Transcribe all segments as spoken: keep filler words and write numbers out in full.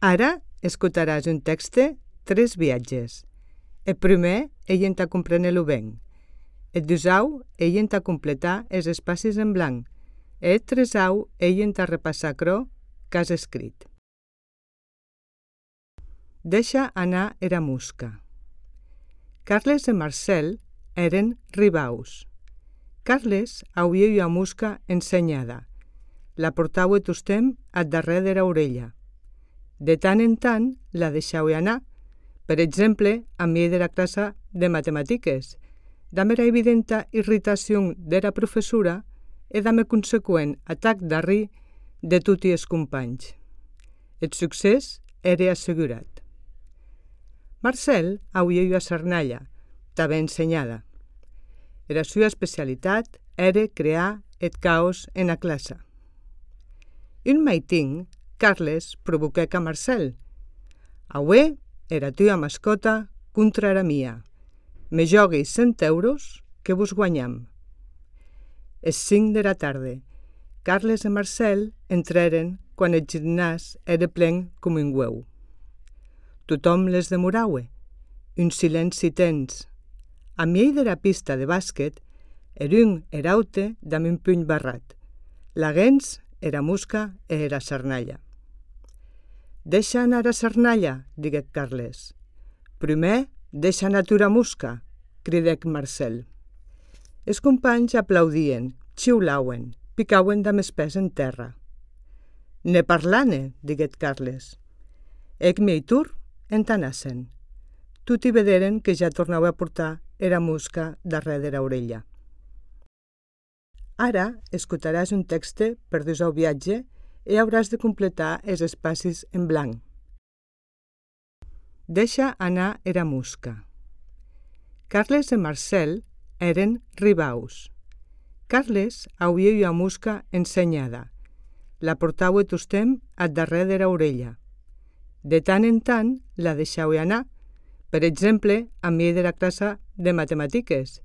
Ara escutaràs un text, tres viatges. El primer, ell en t'a comprendre-lo ben. El dusau, ell en t'a completar els espacis en blanc. El tresau, ell en t'a repassar cro que has escrit. Deixa anar era musca. Carles i Marcel eren ribaus. Carles auia ua musca ensenyada. La portau et tostem a darrere de la orella. De tant en tant la deixau anar, per exemple, a mi de la classe de matemàtiques, damb era evidenta irritació de la professora e damb conseqüent atac d'arri de tutti els companys. El succés era assegurat. Marcel auia ua sarnalla, també ensenyada. La seva especialitat era crear el caos en la classe. Un maitin, Carles provoquèc a Marcel. Aué era tua mascota contra era mia. Me jogui cent euros que vos guanyam. Es cinc de la tarda. Carles i Marcel entraren quan el gimnàs era plen com un hueu. Tothom les demoraue. Un silenci tens. A mi de la pista de bàsquet, er un eraute damb un puny barrat. La gens era musca e era sarnalla. Deixa anar a sarnalla, diguec Carles. Primer, deixa anar tura musca, cridec Marcel. Els companys aplaudien, xiulauen, picauen damb els pès en terra. Ne parlane, diguec Carles. Ec mi tur entanassen. Tutti vederen que ja tornau a portar era musca darrere de l'orella. Ara escutaràs un text per dusau viatge i hauràs de completar els espacis en blanc. Deixa anar era musca. Carles i Marcel eren ribaus. Carles auia ua musca ensenyada. La portau et tostem a darrere de l'orella. De tant en tant la deixau anar, per exemple, a mi de la classe de matemàtiques,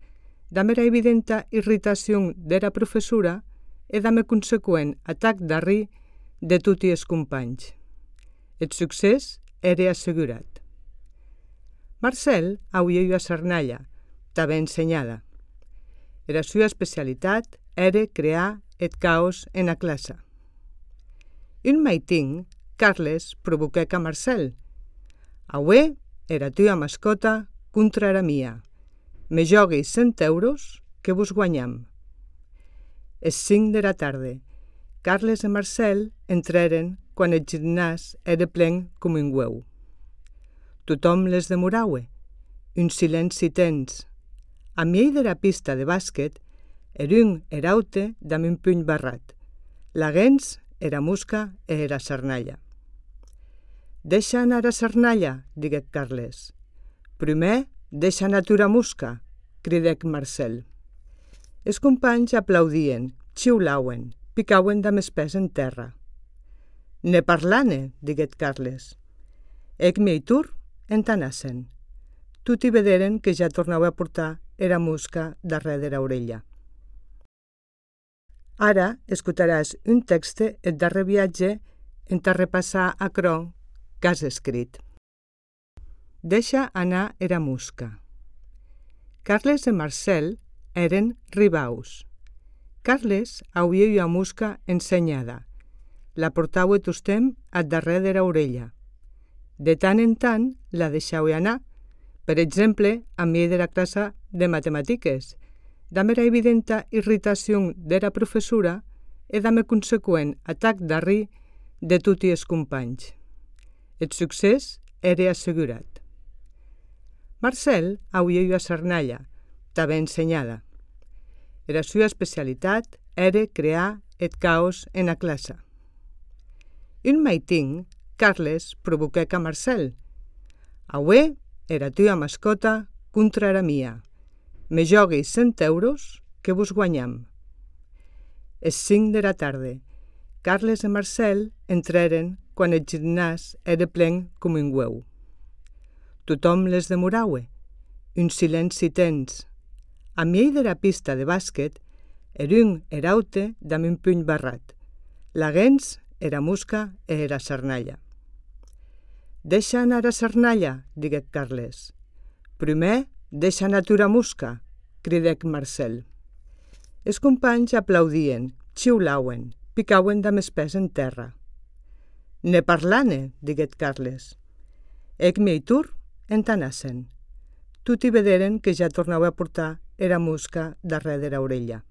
damb era evidenta irritació de la professora e damb conseqüent atac d'arri de tutti els companys. El succés era assegurat. Marcel auia ua sarnalla, també ensenyada. La seva especialitat era crear el caos en la classe. Un maitin, Carles provoquèc a Marcel. Aué era tua mascota contra era mia. Me jogui cent euros que vos guanyam. Es cinc de la tarda. Carles i Marcel entraren quan el gimnàs era plen com un hueu. Tothom les demoraue. Un silenci tens. A mi de la pista de bàsquet, er un eraute damb un puny barrat. La gens era musca e era sarnalla. Deixa anar a sarnalla, diguec Carles. Primer, deixa anar tura musca, cridec Marcel. Els companys aplaudien, xiulauen, picauen damb els pès en terra. Ne parlane, diguec Carles. Ec mi tur entanassen. Tutti vederen que ja tornau a portar era musca darrere de l'orella. Ara escutaràs un text el darrer viatge en t'a repassar a cro que has escrit. Deixa anar era musca. Carles i Marcel eren ribaus. Carles auia ua musca ensenyada. La portau et tostem a darrere de l'orella. De tant en tant la deixau anar, per exemple, a mi de la classe de matemàtiques, damb era evidenta irritació de la professora e damb conseqüent atac d'arri de tutti els companys. El succés era assegurat. Marcel auia ua sarnalla, també ensenyada. La seva especialitat era crear el caos en la classe. Un maitin, Carles provoquèc a Marcel. Aué era tua mascota contra era mia. Me jogui cent euros que vos guanyam. Es cinc de la tarda. Carles i Marcel entraren quan el gimnàs era plen com un hueu. Tothom les demoraue. Un silenci tens. A mi de la pista de bàsquet, er un eraute damb un puny barrat. La gens era musca e era sarnalla. Deixa anar a sarnalla, diguec Carles. Primer, deixa anar tura musca, cridec Marcel. Deixa anar a sarnalla, primer, deixa anar tura musca, cridec Marcel. El succés era assegurat. Marcel auia ua musca ensenyada. La portau et tostem a darrere de l'orella. De tant en tant la deixau anar, per exemple, a mi de la classe de matemàtiques, damb era evidenta irritació de la professora e damb conseqüent atac d'arri de tutti els companys. El succés era assegurat. «Deixa anar a Cernalla», diguec Carles. «Primer, deixa anar tura musca», cridec Marcel. Els companys aplaudien, xiulauen, picauen damb es pès en terra. «Ne parlane», diguec Carles. Ec meitur entanassen. Tuti vederen que ja tornava a portar era musca darrere dera orella.